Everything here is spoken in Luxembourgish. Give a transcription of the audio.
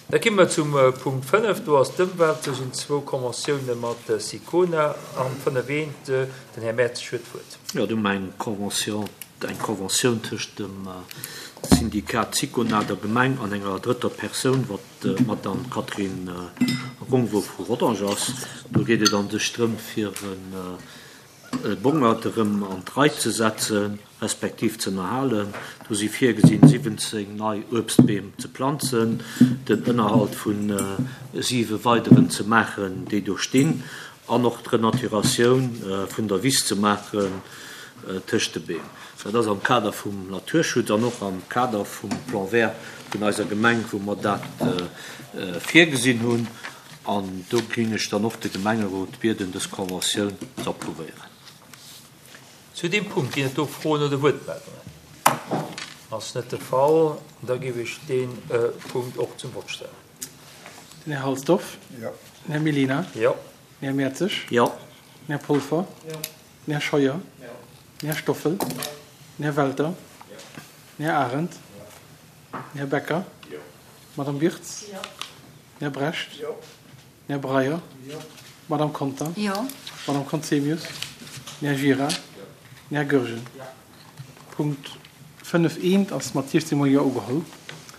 Da gi mer zum Punkt 5, do ass d'Ëmwelt. Do sinn zwou Conventioune mat Sicona an 5 eent. Den Här Mertzig huet d'Wuert. Jo, do hu mer eng Convention, eng Conventioun tëscht dem Syndikat Sicona, der Gemeng an enger drëtter Persoun, wat d'Madame Catherine Rongvo vu Rodange ass. Do geet et an sech drëm, fir e Bongert erëm an d'Rei ze setzen, respektiv z'ënnerhalen. Do si virgesinn, 17 nei Uebstbeem ze planzen, den Ënnerhalt vu siwe weideren ze maachen, déi do stinn, an och d'Renaturatioun vun der Wiss ze maachen tëscht de Beem. Dat ass am Kader vum Naturschutz an och am Kader vum Plan vert vun eiser Gemeng, wou mer dat virgesinn hunn. An do géing ech dann och de Gemengerot bieden, dës Conventioun z'approuvéieren. Zu deem Punkt ginn et do Froen oder Wuertmeldungen? Ass net de Fall. Da géif ech dee Punkt och zum Vott stellen. Den Här Halsdorf. Jo. Den Här Mellina. Jo. Den Här Mertzig. Jo. Den Här Polfer. Jo. Den Här Scheuer. Jo. Den Här Stoffel. Jo. Den Här Welter. Jo. Den Här Arendt. Jo. Den Här Becker. Jo. D'Madame Wirtz. Jo. Den Här Brecht. Jo. Den Här Breyer. Jo. D'Madame Conter. Jo. D'Madame Conzemius. Den Här Gira. Jo. Den Här Goergen. Jo. Punkt 5 eent ass mat 16 mol Jo ugeholl.